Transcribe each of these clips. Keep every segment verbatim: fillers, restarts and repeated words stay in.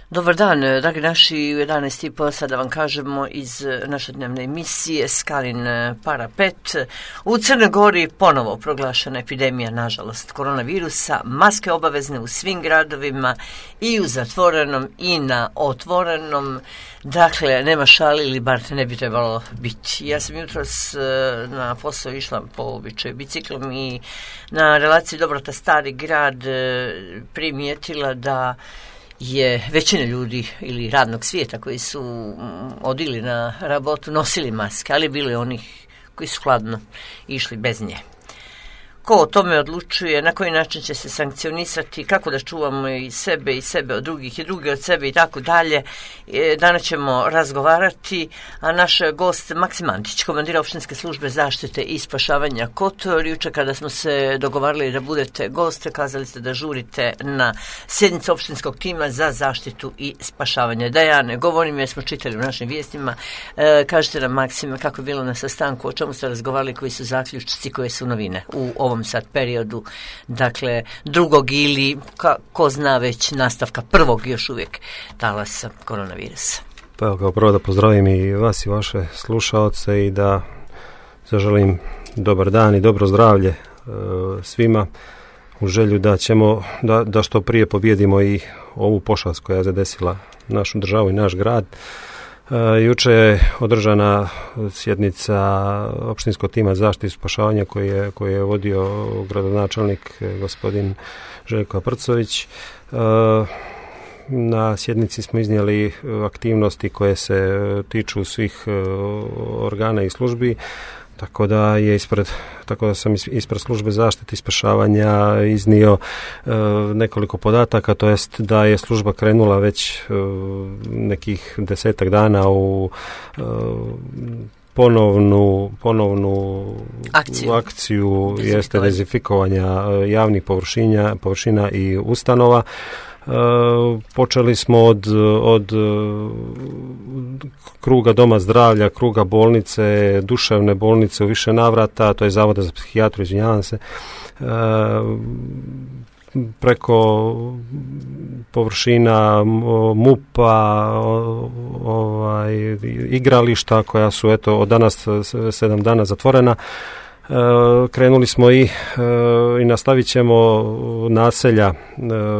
Dobar dan, dragi naši, u jedanaest i po sada vam kažemo iz naše dnevne emisije Skalin Parapet. U Crnoj Gori ponovo proglašena epidemija, nažalost, koronavirusa, maske obavezne u svim gradovima i u zatvorenom i na otvorenom. Dakle, nema šali ili bar ne bi trebalo biti. Ja sam jutros na posao išla po običaju biciklom i na relaciji Dobrota Stari grad primijetila da je većina ljudi ili radnog svijeta koji su odili na rabotu nosili maske, ali bilo je onih koji su hladno išli bez nje. Ko o tome odlučuje, na koji način će se sankcionisati, kako da čuvamo i sebe i sebe od drugih i drugi od sebe i tako dalje. Danas ćemo razgovarati, a naš gost Maksim Antić, komandira opštinske službe zaštite i spašavanja Kotor. Jučer kada smo se dogovarali da budete goste, kazali ste da žurite na sjednicu opštinskog tima za zaštitu i spašavanje. Da ja ne govorim jer smo čitali u našim vijestima. E, kažete nam, Maksime, kako je bilo na sastanku, o čemu ste razgovarali, koji su zaključci, koje su novine u ovom sad periodu, dakle drugog ili ka, ko zna već nastavka prvog još uvijek talasa koronavirusa. Pa evo, kao prvo da pozdravim i vas i vaše slušaoce i da zaželim dobar dan i dobro zdravlje e, svima u želju da ćemo da, da što prije pobjedimo i ovu pošast koja je zadesila našu državu i naš grad. Uh, juče je održana sjednica opštinskog tima zaštite i spašavanja koji je, koji je vodio gradonačelnik gospodin Željko Prcović. Uh, na sjednici smo iznijeli aktivnosti koje se tiču svih uh, organa i službi. Tako da je ispred, tako da sam ispred službe zaštite i spašavanja iznio e, nekoliko podataka, to jest da je služba krenula već e, nekih desetak dana u e, ponovnu, ponovnu akciju, akciju jeste dezinfikovanja javnih površina, površina i ustanova. Uh, počeli smo od, od kruga doma zdravlja, kruga bolnice, duševne bolnice u više navrata, to je Zavoda za psihijatriju, izvinjavam se, uh, preko površina M U P-a, ovaj, igrališta koja su eto od danas sedam dana zatvorena. E, krenuli smo i, e, i nastavit ćemo naselja, e,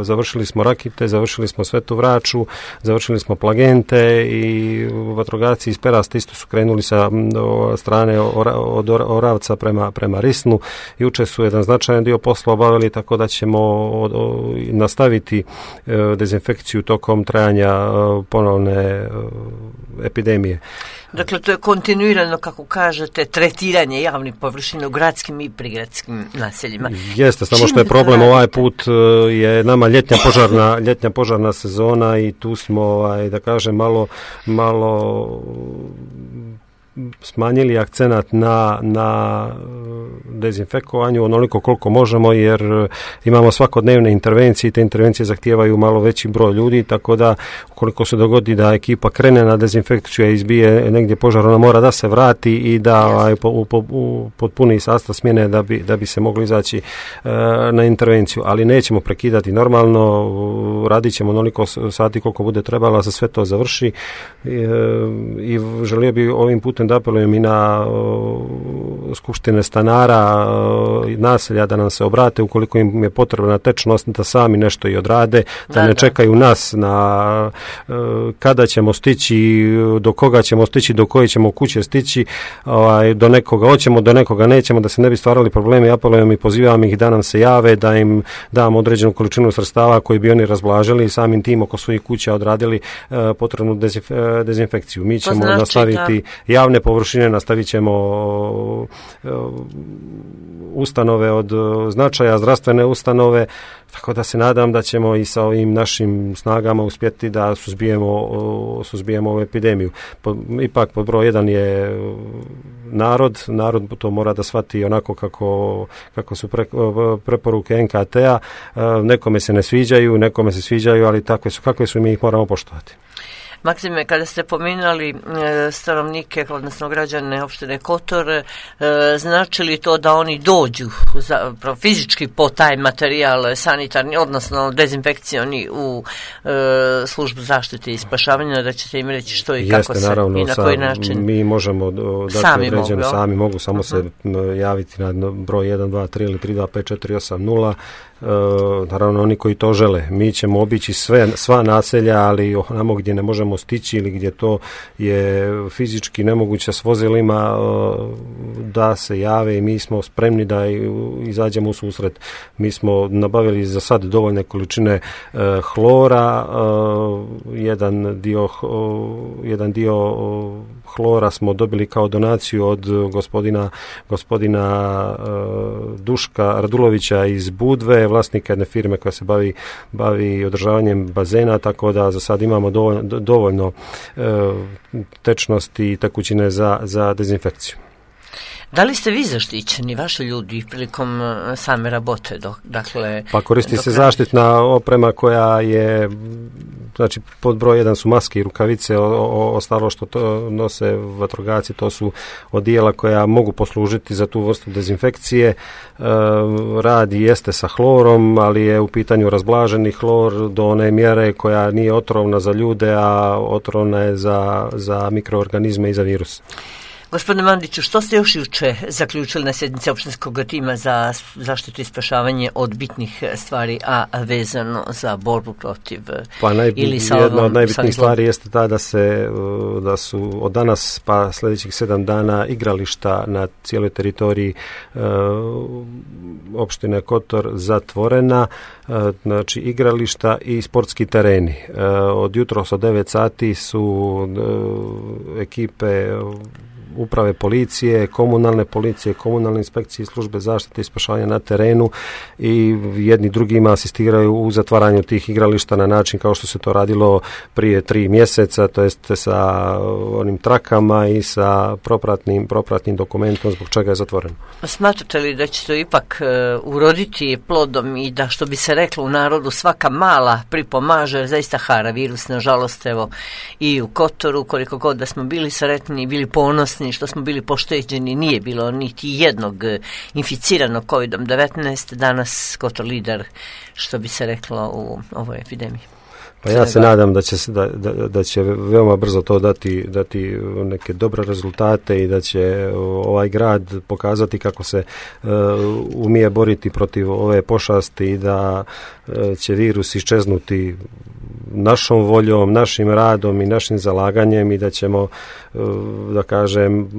završili smo Rakite, završili smo Svetu Vraču, završili smo Plagente i vatrogasci iz Perasta isto su krenuli sa o, strane or, od Oravca prema, prema Risnu. Juče su jedan značajan dio posla obavili, tako da ćemo o, o, nastaviti e, dezinfekciju tokom trajanja e, ponovne e, epidemije. Dakle, to je kontinuirano, kako kažete, tretiranje javnih površina u gradskim i prigradskim naseljima. Jeste, samo što je problem ovaj put je nama ljetnja požarna, ljetnja požarna sezona i tu smo, ovaj, da kažem, malo, malo smanjili akcenat na, na dezinfekovanju onoliko koliko možemo, jer imamo svakodnevne intervencije i te intervencije zahtijevaju malo veći broj ljudi, tako da ukoliko se dogodi da ekipa krene na dezinfekciju i izbije negdje požar, ona mora da se vrati i da ovaj, po, u, u potpuni sastav smjene da bi, da bi se mogli izaći e, na intervenciju, ali nećemo prekidati normalno, radit ćemo onoliko sati koliko bude trebalo, za sve to završi e, i želio bi ovim putem da apelujem i na uh, skupštine stanara uh, naselja da nam se obrate ukoliko im je potrebna tečnost, da sami nešto i odrade, da, da ne da. čekaju nas na uh, kada ćemo stići, do koga ćemo stići, do koje ćemo kuće stići, ovaj, do nekoga hoćemo, do nekoga nećemo, da se ne bi stvarali problemi. Apelujem i pozivam ih da nam se jave, da im dam određenu količinu sredstava koji bi oni razblažili i samim tim oko svojih kuća odradili uh, potrebnu dezinf- dezinfekciju. Mi ćemo znači, nastaviti da. javne površine, nastavit ćemo uh, ustanove od značaja, zdravstvene ustanove, tako da se nadam da ćemo i sa ovim našim snagama uspjeti da suzbijemo, suzbijemo ovu epidemiju. Po, ipak pod broj jedan je narod, narod to mora da shvati onako kako, kako su pre, preporuke N K T-a, nekome se ne sviđaju, nekome se sviđaju, ali takve su, kakve su, mi ih moramo poštovati. Maksime, kada ste pominjali e, stanovnike, odnosno građane opštine Kotor, e, znači li to da oni dođu za, fizički po taj materijal sanitarni, odnosno dezinfekcioni u e, službu zaštite i spašavanja, da ćete im reći što i Jeste, kako se naravno, i na koji način? Mi možemo dati sami određeno, mogu, sami mogu samo uh-huh. se javiti na broj jedan dva tri ili tri dva pet četiri osam nula. E, naravno oni koji to žele. Mi ćemo obići sve, sva naselja, ali onamo gdje ne možemo stići ili gdje to je fizički nemoguće s vozilima, da se jave i mi smo spremni da izađemo u susret. Mi smo nabavili za sad dovoljne količine e, hlora, e, jedan dio, jedan dio hlora smo dobili kao donaciju od gospodina, gospodina e, Duška Radulovića iz Budve, vlasnika jedne firme koja se bavi, bavi održavanjem bazena, tako da za sad imamo dovoljno, dovoljno e, tečnosti i tekućine za, za dezinfekciju. Da li ste vi zaštićeni, vaši ljudi, prilikom same rabote? Dok, dakle, pa koristi dok se zaštitna oprema koja je, znači pod broj jedan su maske i rukavice, o, o, ostalo što to nose vatrogasci, to su odijela koja mogu poslužiti za tu vrstu dezinfekcije. E, rad jeste sa hlorom, ali je u pitanju razblaženi hlor do one mjere koja nije otrovna za ljude, a otrovna je za, za mikroorganizme i za virus. Gospodine Mandiću, što ste još juče zaključili na sjednici opštinskog tima za zaštitu i spašavanje od bitnih stvari, a vezano za borbu protiv pa najbi, ili sa jedna ovom, od najbitnijih stvari jeste ta da se da su od danas pa sljedećih sedam dana igrališta na cijeloj teritoriji e, opštine Kotor zatvorena, e, znači igrališta i sportski tereni. E, od jutros od devet sati su e, ekipe uprave policije, komunalne policije, komunalne inspekcije i službe zaštite i spašavanja na terenu i jedni drugima asistiraju u zatvaranju tih igrališta na način kao što se to radilo prije tri mjeseca, to jest sa onim trakama i sa propratnim, propratnim dokumentom zbog čega je zatvoreno. Smatrate li da će to ipak uh, uroditi plodom i da, što bi se reklo u narodu, svaka mala pripomaže, jer zaista hara virus, nažalost, evo i u Kotoru, koliko god da smo bili sretni, bili ponosni što smo bili pošteđeni, nije bilo niti jednog inficiranog kovidom devetnaest, danas Kotor lider, što bi se reklo, u ovoj epidemiji. Pa ja se nadam da će, da, da, da će veoma brzo to dati, dati neke dobre rezultate i da će ovaj grad pokazati kako se uh, umije boriti protiv ove pošasti i da uh, će virus iščeznuti našom voljom, našim radom i našim zalaganjem i da ćemo, uh, da kažem,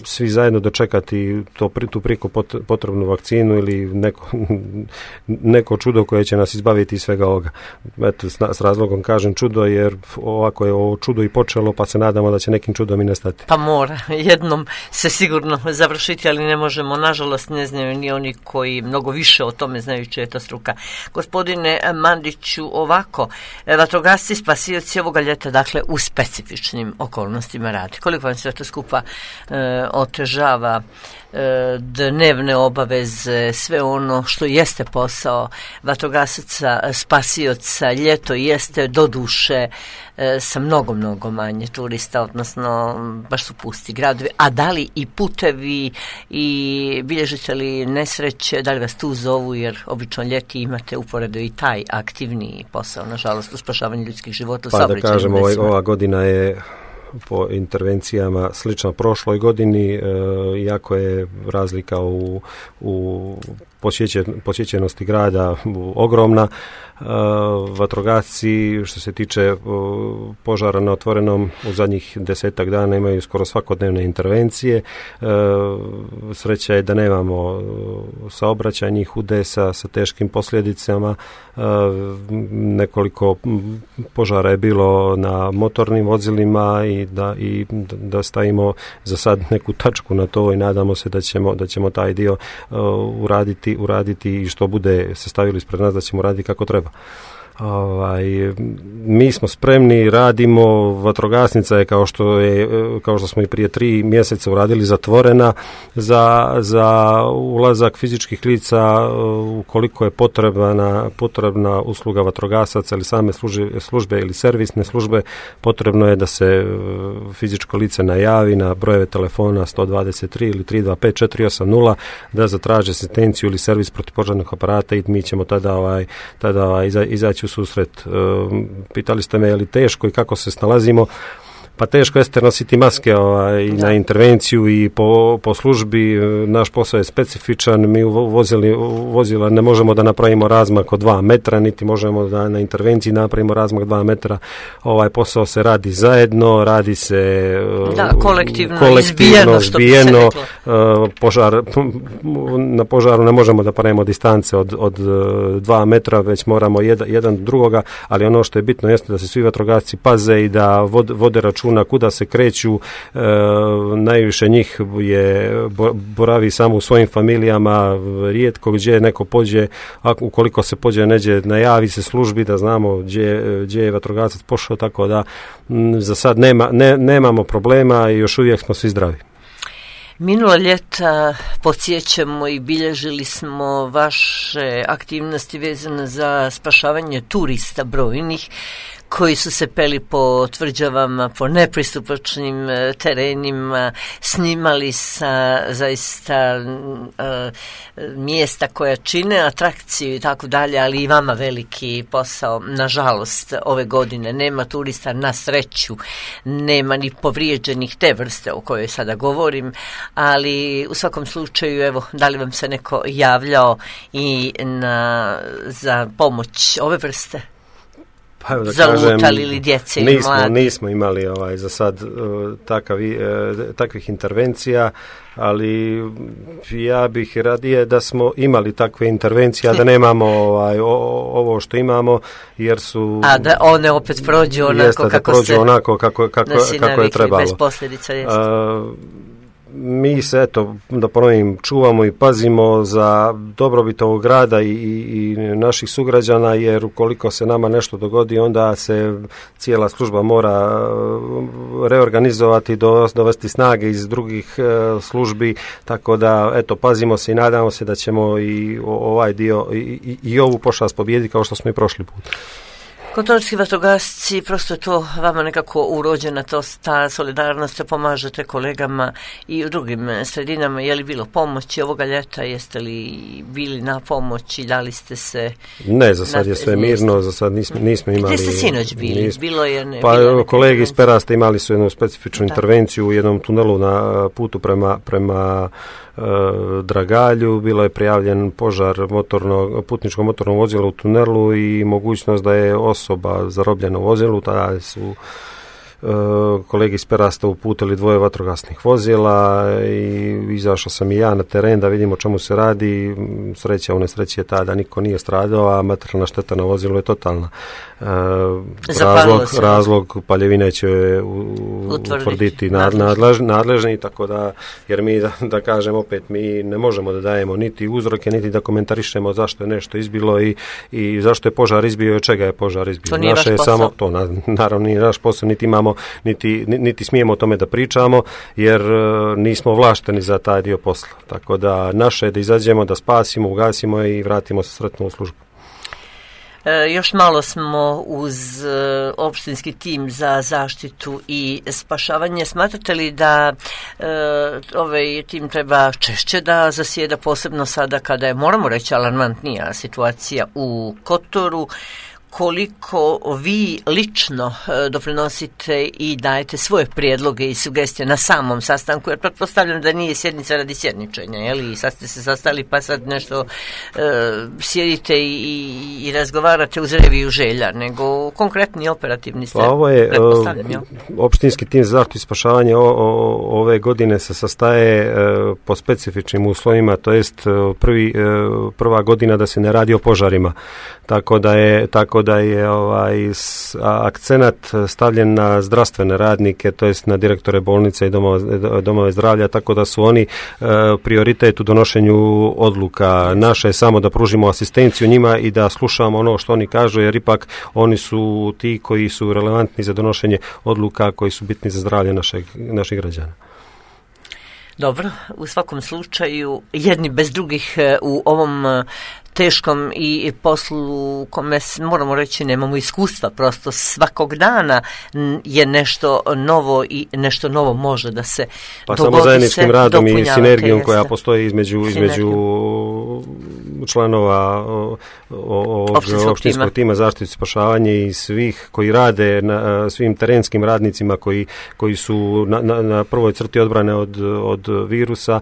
svi zajedno dočekati to, tu priko potrebnu vakcinu ili neko, neko čudo koje će nas izbaviti iz svega ovoga. Eto, s, s razlogom kažem čudo, jer ovako je ovo čudo i počelo, pa se nadamo da će nekim čudom i nestati. Pa mora, jednom se sigurno završiti, ali ne možemo, nažalost ne znaju ni oni koji mnogo više o tome znaju čija je to struka. Gospodine Mandiću, ovako, vatrogasci spasioci ovoga ljeta, dakle, u specifičnim okolnostima radi. Koliko vam sve to skupa e, otežava e, dnevne obaveze, sve ono što jeste posao vatrogasaca, spasioca, ljeto jeste do duše e, sa mnogo, mnogo manje turista, odnosno baš su pusti gradovi, a da li i putevi i bilježite li nesreće, da li vas tu zovu, jer obično ljeti imate uporedo i taj aktivniji posao, nažalost, u spašavanju ljudskih života. Pa da kažem, ovaj, ova godina je po intervencijama slično prošloj godini, e, iako je razlika u, u posjećenosti grada ogromna. E, vatrogasci, što se tiče e, požara na otvorenom, u zadnjih desetak dana imaju skoro svakodnevne intervencije. E, sreća je da nemamo saobraćajnih udesa sa teškim posljedicama. E, nekoliko požara je bilo na motornim vozilima i da, i da stavimo za sad neku tačku na to i nadamo se da ćemo, da ćemo taj dio uh, uraditi, uraditi i što bude se stavili ispred nas da ćemo raditi kako treba. Ovaj, mi smo spremni, radimo, vatrogasnica je kao što je, kao što smo i prije tri mjeseca uradili, zatvorena za, za ulazak fizičkih lica ukoliko je potrebna, potrebna usluga vatrogasaca ili same službe, službe ili servisne službe, potrebno je da se fizičko lice najavi na brojeve telefona sto dvadeset tri ili tri dva pet četiri osam nula da zatraže asistenciju ili servis protivpožarnih aparata i mi ćemo tada, ovaj, tada ovaj, iza, izaći u susret. Pitali ste me je li teško i kako se snalazimo. Pa teško jeste nositi maske ovaj, na intervenciju i po, po službi. Naš posao je specifičan. Mi u vozili, vozila ne možemo da napravimo razmak od dva metra, niti možemo da na intervenciji napravimo razmak dva metra. Ovaj posao se radi zajedno, radi se da, kolektivno, kolektivno izbijeno, izbijeno požar, na požaru ne možemo da pravimo distance od, od dva metra, već moramo jedan, jedan drugoga, ali ono što je bitno jeste da se svi vatrogasci paze i da vode, vode računa na kuda se kreću, e, najviše njih je boravi samo u svojim familijama, rijetko gdje neko pođe, a ukoliko se pođe neđe, najavi se službi da znamo gdje, gdje je vatrogasac pošao, tako da m, za sad nema, ne, nemamo problema i još uvijek smo svi zdravi. Minula ljeta podsjećamo i bilježili smo vaše aktivnosti vezane za spašavanje turista brojnih koji su se peli po tvrđavama, po nepristupačnim terenima, snimali sa zaista uh, mjesta koja čine atrakciju i tako dalje, ali i vama veliki posao. Nažalost, ove godine nema turista, na sreću, nema ni povrijeđenih te vrste o kojoj sada govorim, ali u svakom slučaju, evo, da li vam se neko javljao i na, za pomoć ove vrste? Pa, da zalutali ili djece ili nismo, mladi? Nismo imali ovaj, za sad uh, takav, uh, takvih intervencija, ali ja bih radije da smo imali takve intervencije, a da nemamo ovaj, o, ovo što imamo, jer su... A da one opet prođu onako jeste, kako da prođu se... onako kako, kako, kako je trebalo. Bez posljedica, jeste. Uh, mi se, eto, da ponovim, čuvamo i pazimo za dobrobit ovog grada i, i, i naših sugrađana, jer ukoliko se nama nešto dogodi, onda se cijela služba mora reorganizovati, do, dovesti snage iz drugih e, službi, tako da, eto, pazimo se i nadamo se da ćemo i ovaj dio i, i, i ovu pošast pobijediti kao što smo i prošli put. Kotorski vatrogasci, prosto je to vama nekako urođena, to, ta solidarnost, pomažete kolegama i u drugim sredinama. Je li bilo pomoći ovoga ljeta, jeste li bili na pomoći, da li ste se... Ne, za sad je sve mirno, za sad nismo, nismo imali... Gdje ste sinoć bili? Nismo, bilo je ne, pa bilo kolegi iz Perasta imali su jednu specifičnu da. intervenciju u jednom tunelu na putu prema... prema Dragalju, bilo je prijavljen požar motornog, putničko motornog vozila u tunelu i mogućnost da je osoba zarobljena u vozilu, tada su kolegi iz Perasta uputili dvoje vatrogasnih vozila i izašao sam i ja na teren da vidimo o čemu se radi. Sreća u nesreći je ta da niko nije stradao, a materijalna šteta na vozilu je totalna. E, razlog, razlog paljevine će utvrditi nadležni, nadležni, tako da, jer mi, da, da kažem opet, mi ne možemo da dajemo niti uzroke, niti da komentarišemo zašto je nešto izbilo i, i zašto je požar izbio i od čega je požar izbio. To nije naše je samo, to na, naravno nije naš posao, niti imamo Niti, niti smijemo o tome da pričamo, jer uh, nismo ovlašteni za taj dio posla. Tako da naše je da izađemo, da spasimo, ugasimo i vratimo se sretno u službu. E, još malo smo uz e, opštinski tim za zaštitu i spašavanje. Smatrate li da e, ovaj tim treba češće da zasjeda, posebno sada kada je, moramo reći, alarmantnija situacija u Kotoru? Koliko vi lično doprinosite i dajete svoje prijedloge i sugestije na samom sastanku, jer pretpostavljam da nije sjednica radi sjedničenja, jel? I sad ste se sastali pa sad nešto e, sjedite i, i, i razgovarate uz reviju želja, nego konkretni operativni ste, pa ovo je, pretpostavljam, jel? Opštinski tim za zaštitu i spašavanje o, o, ove godine se sastaje e, po specifičnim uslovima, to jest prvi, e, prva godina da se ne radi o požarima, tako da je, tako svakako da je ovaj akcenat stavljen na zdravstvene radnike, to jest na direktore bolnice i domove, domove zdravlja, tako da su oni e, prioritet u donošenju odluka. Naše je samo da pružimo asistenciju njima i da slušamo ono što oni kažu, jer ipak oni su ti koji su relevantni za donošenje odluka, koji su bitni za zdravlje našeg, naših građana. Dobro, u svakom slučaju jedni bez drugih u ovom teškom i poslu u kome moramo reći nemamo iskustva, prosto svakog dana je nešto novo i nešto novo može da se pa dogodi. Pa samo zajedničkim radom i sinergijom jeste. koja postoji između, između članova ovog opštinskog tima, tima zaštite i spašavanje i svih koji rade na svim terenskim radnicima koji, koji su na, na, na prvoj crti odbrane od, od virusa.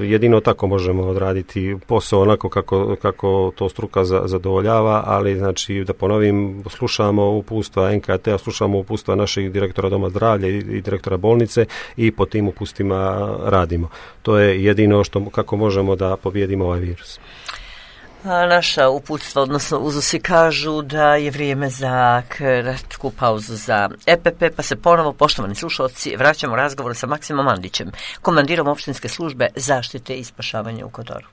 Jedino tako možemo odraditi posao onako kako kako to struka zadovoljava, ali znači da ponovim, slušamo uputstva N K T-a, slušamo uputstva naših direktora doma zdravlja i, i direktora bolnice i po tim upustima radimo. To je jedino što kako možemo da pobijedimo ovaj virus. A naša uputstva, odnosno uzusi kažu da je vrijeme za kratku pauzu za E P P, pa se ponovo, poštovani slušalci, vraćamo razgovor sa Maksimom Mandićem, komandirom opštinske službe zaštite i spašavanja u Kotoru.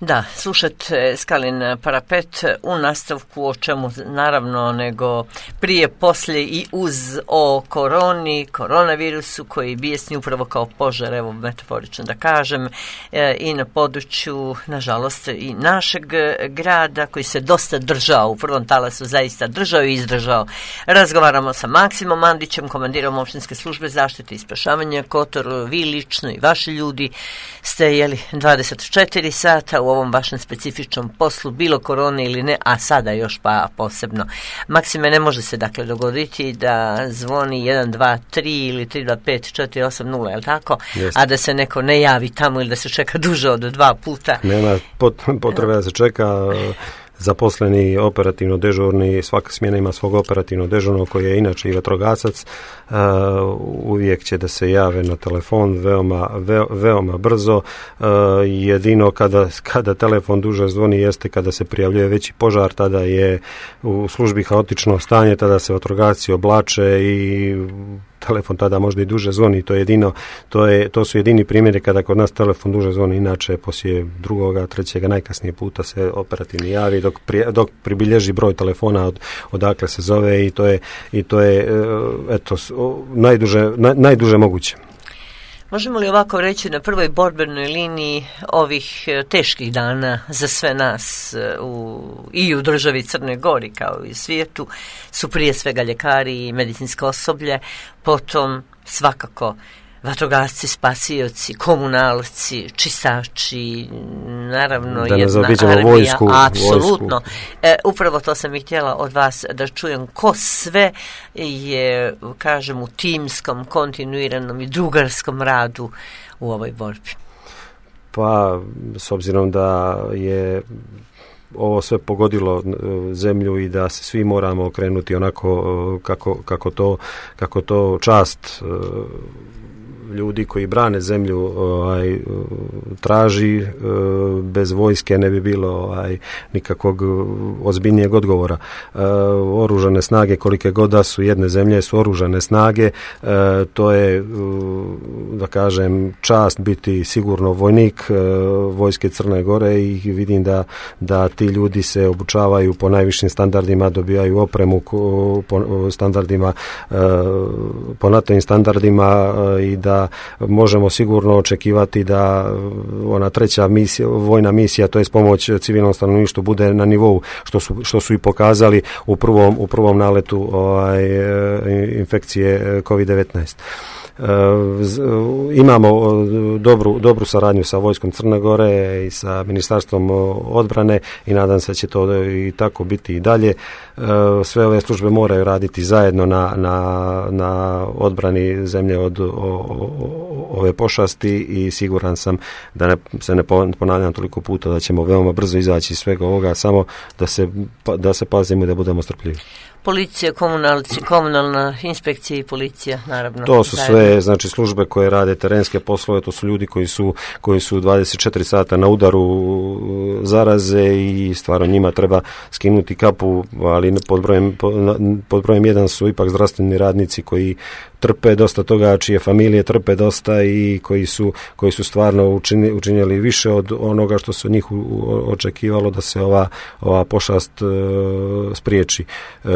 Da, slušate Skalin parapet u nastavku o čemu naravno nego prije, poslije i uz o koroni, koronavirusu koji bijesni upravo kao požar, evo metaforično da kažem, e, i na području, nažalost, i našeg grada koji se dosta držao, u prvom talasu zaista držao i izdržao. Razgovaramo sa Maksimom Mandićem, komandirom opštinske službe zaštite i spašavanja Kotor. Vi lično i vaši ljudi ste jeli dvadeset četiri sata u ovom vašem specifičnom poslu, bilo korone ili ne, a sada još pa posebno. Maksime, ne može se dakle dogoditi da zvoni jedan dva tri ili tri dva pet četiri osam nula, je li tako? Jeste. A da se neko ne javi tamo ili da se čeka duže od dva puta. Nema potrebe da se čeka. Zaposleni operativno dežurni, svaka smjena ima svog operativno dežurnog koji je inače i vatrogasac, uh, uvijek će da se jave na telefon veoma, ve, veoma brzo. Uh, jedino kada, kada telefon duže zvoni jeste kada se prijavljuje veći požar, tada je u službi haotično stanje, tada se vatrogasci oblače i telefon tada možda i duže zvoni, to je jedino, to, je, to su jedini primjeri kada kod nas telefon duže zvoni, inače poslije drugoga, trećega, najkasnije puta se operativni javi dok, pri, dok pribilježi broj telefona od, odakle se zove i to je, i to je eto, najduže, naj, najduže moguće. Možemo li ovako reći na prvoj borbenoj liniji ovih teških dana za sve nas u, i u državi Crnoj Gori kao i u svijetu su prije svega ljekari i medicinsko osoblje, potom svakako vatrogasci, spasioci, komunalci, čistači, naravno da jedna armija, vojsku, apsolutno. Vojsku. E, upravo to sam i htjela od vas da čujem ko sve je, kažem, u timskom, kontinuiranom i drugarskom radu u ovoj borbi. Pa, s obzirom da je ovo sve pogodilo zemlju i da se svi moramo okrenuti onako kako, kako, to, kako to čast ljudi koji brane zemlju ovaj, traži, bez vojske ne bi bilo ovaj, nikakvog ozbiljnijeg odgovora. Oružane snage kolike god da su jedne zemlje su oružane snage, to je, da kažem, čast biti sigurno vojnik vojske Crne Gore i vidim da, da ti ljudi se obučavaju po najvišim standardima, dobijaju opremu po standardima, po NATO-im standardima i da možemo sigurno očekivati da ona treća misija, vojna misija, to je pomoć civilnom stanovništvu, bude na nivou što su, što su i pokazali u prvom, u prvom naletu ovaj, infekcije kovid devetnaest. Uh, imamo dobru, dobru saradnju sa vojskom Crne Gore i sa ministarstvom odbrane i nadam se da će to i tako biti i dalje. Uh, sve ove službe moraju raditi zajedno na, na, na odbrani zemlje od o, o, ove pošasti i siguran sam da ne, se ne ponavljam toliko puta da ćemo veoma brzo izaći iz svega ovoga, samo da se, da se pazimo i da budemo strpljivi. Policija, komunalci, komunalna inspekcija i policija, naravno. To su zajedno sve, znači, službe koje rade terenske poslove, to su ljudi koji su, koji su dvadeset četiri sata na udaru zaraze i stvarno njima treba skinuti kapu, ali pod brojem, pod brojem jedan su ipak zdravstveni radnici koji trpe dosta toga, čije familije trpe dosta i koji su, koji su stvarno učini, učinjeli više od onoga što se od njih očekivalo da se ova, ova pošast e, spriječi. E,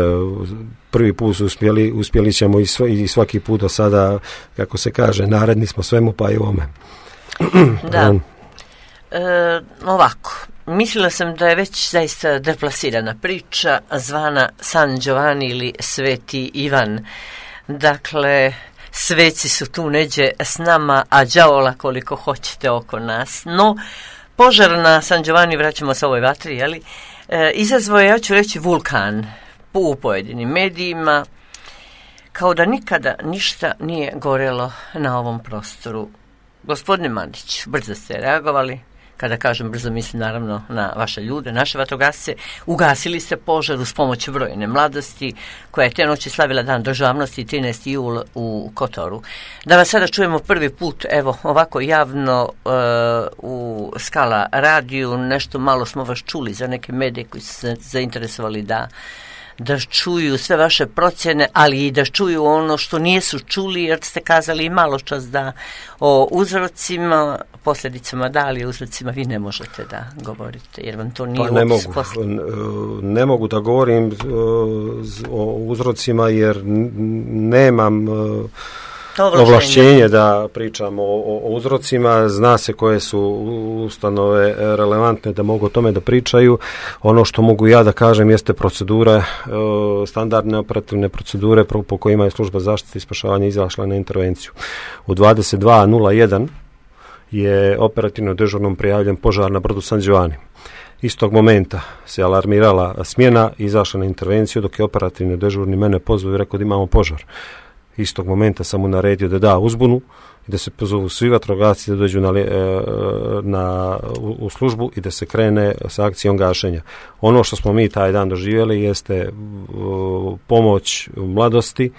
prvi put su uspjeli, uspjeli ćemo i, sv, i svaki put do sada, kako se kaže, naredni smo svemu pa i ovome. Da. E, ovako, mislila sam da je već zaista deplasirana priča zvana San Giovanni ili Sveti Ivan. Dakle, sveci su tu neđe s nama, a đavola koliko hoćete oko nas. No, požar na San Giovanni, vraćamo se ovoj vatri, jeli, e, izazvao je, ja ću reći, vulkan u pojedinim medijima, kao da nikada ništa nije gorelo na ovom prostoru. Gospodine Mandić, brzo ste reagovali. Kada kažem brzo, mislim naravno na vaše ljude, naše vatrogasce. Ugasili ste požar uz pomoć brojne mladosti, koja je te noći slavila Dan državnosti trinaesti jul u Kotoru. Da vas sada čujemo prvi put, evo, ovako javno uh, u Skala radiju, nešto malo smo vas čuli za neke medije koji su se zainteresovali da da čuju sve vaše procjene, ali i da čuju ono što nisu čuli, jer ste kazali i malo čas da o uzrocima, posljedicama da, ali o uzrocima vi ne možete da govorite, jer vam to nije... Pa ne mogu, ne mogu da govorim o uzrocima, jer nemam ovlašćenje da pričam o, o uzrocima. Zna se koje su ustanove relevantne da mogu o tome da pričaju. Ono što mogu ja da kažem jeste procedure, standardne operativne procedure po kojima je služba zaštite i spašavanja izašla na intervenciju. U dvadeset dva nula jedan je operativno dežurnom prijavljen požar na brodu San Giovanni. Istog momenta se alarmirala smjena i izašla na intervenciju, dok je operativno dežurni mene pozvao i rekao da imamo požar. Istog momenta sam mu naredio da da uzbunu i da se pozovu svi vatrogasci da dođu na, na, u, u službu i da se krene sa akcijom gašenja. Ono što smo mi taj dan doživjeli jeste uh, pomoć mladosti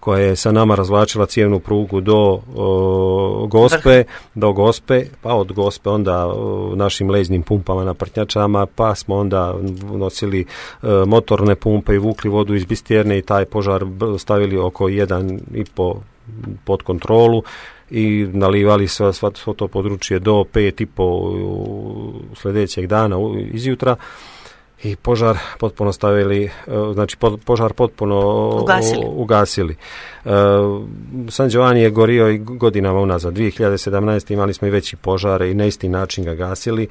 koja je sa nama razvlačila cijevnu prugu do uh, Gospe, do Gospe, pa od Gospe onda uh, našim leznim pumpama na prtnjačama, pa smo onda nosili uh, motorne pumpe i vukli vodu iz Bistjerne i taj požar stavili oko jedan i po pod kontrolu i nalivali sve, sve to područje do pet i po sljedećeg dana izjutra. I požar potpuno stavili, znači požar potpuno ugasili. ugasili. San Giovanni je gorio i godinama unazad. dvije hiljade sedamnaeste. imali smo i veći požare i na isti način ga gasili,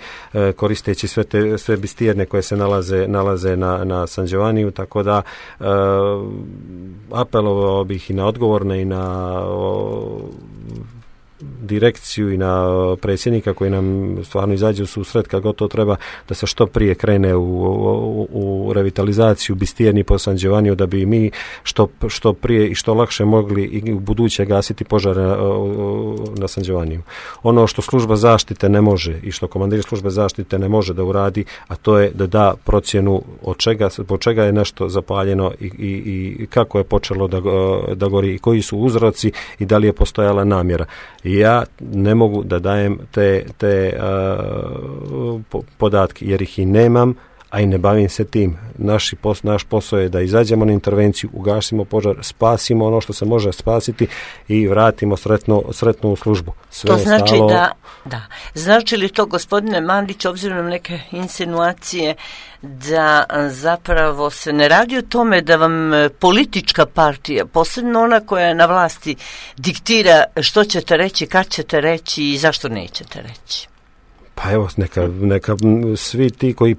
koristeći sve te sve bistijerne koje se nalaze, nalaze na, na San Giovanniju, tako da apelovao bih i na odgovorne i na direkciju i na predsjednika koji nam stvarno izađe u susret kad god to treba, da se što prije krene u, u, u revitalizaciju Bistjerni po San Giovanniju, da bi mi što, što prije i što lakše mogli i u buduće gasiti požare na, na San Giovanniju. Ono što služba zaštite ne može i što komandir službe zaštite ne može da uradi, a to je da da procjenu od čega, po čega je nešto zapaljeno i, i, i kako je počelo da, da gori i koji su uzroci i da li je postojala namjera. Ja ne mogu da dajem te, te uh, po, podatke jer ih i nemam, a i ne bavim se tim. Naši pos, naš posao je da izađemo na intervenciju, ugasimo požar, spasimo ono što se može spasiti i vratimo sretno, sretno u službu. Sve to znači stalo... da, da. Znači li to, gospodine Mandić, obzirom na neke insinuacije, da zapravo se ne radi o tome da vam politička partija, posebno ona koja je na vlasti, diktira što ćete reći, kad ćete reći i zašto nećete reći? Pa evo, neka, neka svi ti koji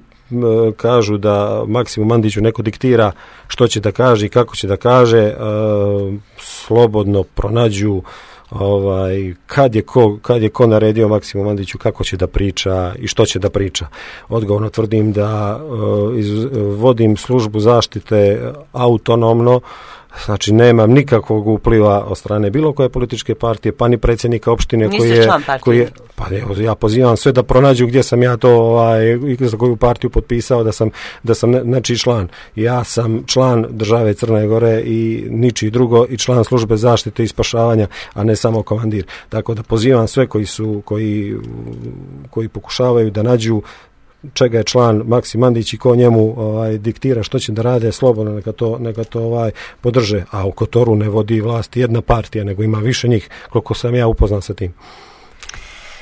kažu da Maksimu Mandiću neko diktira što će da kaže i kako će da kaže, uh, slobodno pronađu ovaj, kad je ko, kad je ko naredio Maksimu Mandiću kako će da priča i što će da priča. Odgovorno tvrdim da uh, iz, vodim službu zaštite autonomno Znači, nemam nikakvog upliva od strane bilo koje političke partije, pa ni predsjednika opštine. Niste koji je, član partije? Koji je, pa evo, ja pozivam sve da pronađu gdje sam ja to, ovaj, za koju partiju potpisao da sam, da sam nečiji član. Ja sam član države Crne Gore i ničiji drugo i član službe zaštite i spašavanja, a ne samo komandir. Tako da pozivam sve koji su, koji, koji pokušavaju da nađu čega je član Maksim Mandić i ko njemu ovaj, diktira što će da rade, slobodno neka to, neka to ovaj, podrže. A u Kotoru ne vodi vlast jedna partija, nego ima više njih, koliko sam ja upoznan sa tim.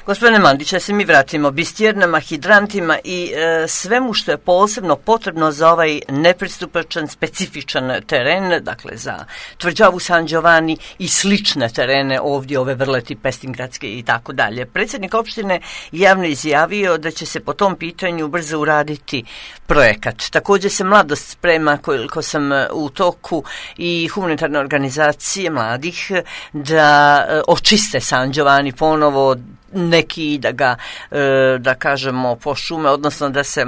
Gospodine Mandić, da se mi vratimo bistjernama, hidrantima i e, svemu što je posebno potrebno za ovaj nepristupačan, specifičan teren, dakle za tvrđavu San Giovanni i slične terene ovdje, ove Vrleti, Pestingradske i tako dalje. Predsjednik opštine javno izjavio da će se po tom pitanju brzo uraditi projekat. Također se Mladost sprema, koliko sam u toku, i humanitarne organizacije mladih da e, očiste San Giovanni ponovo, neki da ga, da kažemo, pošume, odnosno da se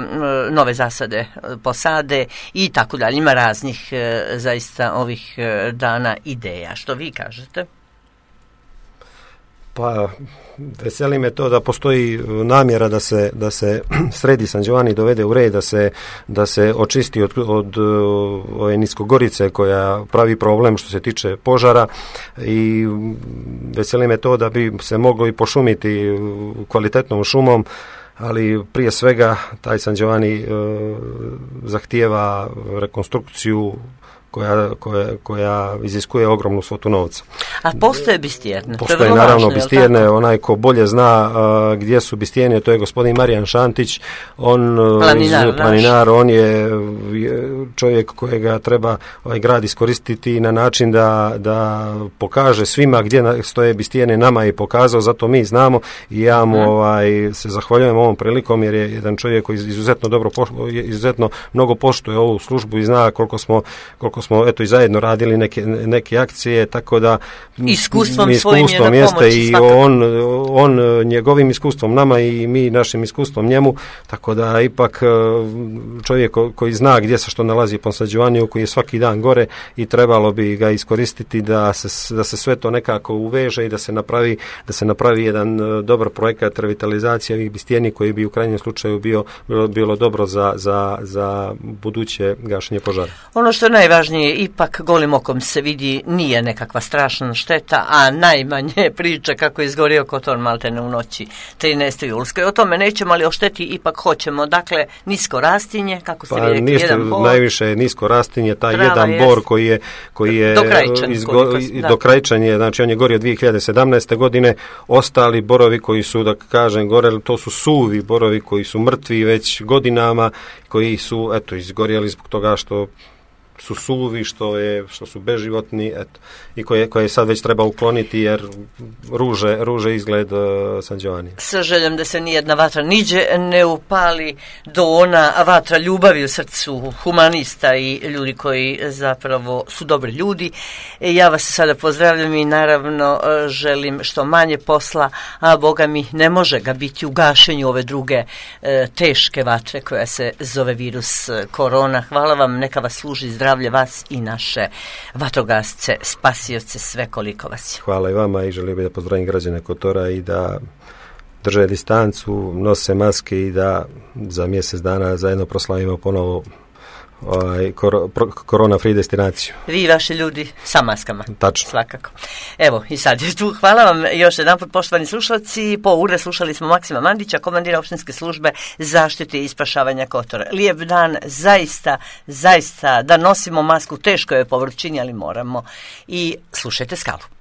nove zasade posade i tako dalje. Ima raznih zaista ovih dana ideja. Što vi kažete? Pa, veseli me to da postoji namjera da se, da se sredi San Giovanni, dovede u red, da se, da se očisti od, od ove niskogorice koja pravi problem što se tiče požara, i veseli me to da bi se moglo i pošumiti kvalitetnom šumom, ali prije svega taj San Giovanni e, zahtijeva rekonstrukciju koja, koja, koja iziskuje ogromnu svotu novca. A postoje bistjerne? Postoje naravno važno, bistjerne, onaj ko bolje zna uh, gdje su bistjerne, to je gospodin Marijan Šantić, on planinar, iz, planinar on je čovjek kojega treba ovaj grad iskoristiti na način da, da pokaže svima gdje stoje bistjerne, nama je pokazao, zato mi znamo i ja mu hmm. ovaj, se zahvaljujem ovom prilikom, jer je jedan čovjek koji izuzetno dobro, izuzetno mnogo poštuje ovu službu i zna koliko smo, koliko smo eto i zajedno radili neke, neke akcije, tako da iskustvom, iskustvom svojim je jeste i on, on njegovim iskustvom nama i mi našim iskustvom njemu, tako da ipak čovjek koji zna gdje se što nalazi po San Giovanniju, koji je svaki dan gore i trebalo bi ga iskoristiti da se, da se sve to nekako uveže i da se napravi, da se napravi jedan dobar projekat revitalizacije ovih bistjeni koji bi u krajnjem slučaju bio, bilo, bilo dobro za, za, za buduće gašenje požara. Ono što je najvažnije, ipak golim okom se vidi, nije nekakva strašna šteta, a najmanje priča kako je izgorio Kotor maltene u noći trinaeste julske. O tome nećemo, ali o šteti ipak hoćemo. Dakle, nisko rastinje, kako ste pa, vi rekli, jedan bor. Najviše je nisko rastinje, taj Trava jedan jest. bor koji je, koji je dokrajčan, izgo, dokrajčan je, znači on je gorio dvije hiljade sedamnaeste. godine, ostali borovi koji su, da kažem, goreli, to su suvi borovi koji su mrtvi već godinama, koji su, eto, izgorjeli zbog toga što su suvi, što je, što su beživotni, eto, i koje, koje sad već treba ukloniti jer ruže, ruže izgled uh, San Giovanni. Sa željom da se nijedna vatra niđe ne upali do ona vatra ljubavi u srcu humanista i ljudi koji zapravo su dobri ljudi. E, ja vas sada pozdravljam i naravno želim što manje posla, a Boga mi ne može ga biti u gašenju ove druge e, teške vatre koja se zove virus korona. Hvala vam, neka vas služi zdravlje vas i naše vatrogasce, spasioce, sve koliko vas je. Hvala i vama i želim da pozdravim građane Kotora i da drže distancu, nose maske i da za mjesec dana zajedno proslavimo ponovo ovaj, kor, korona free destinaciju. Vi i vaši ljudi sa maskama. Tačno. Svakako. Evo i sad je tu. Hvala vam još jedan put, poštovani slušalci. Po ure slušali smo Maksima Mandića, komandira opštinske službe zaštite i spašavanja Kotora. Lijep dan, zaista, zaista da nosimo masku, teško je po vrućini, ali moramo. I slušajte Skalu.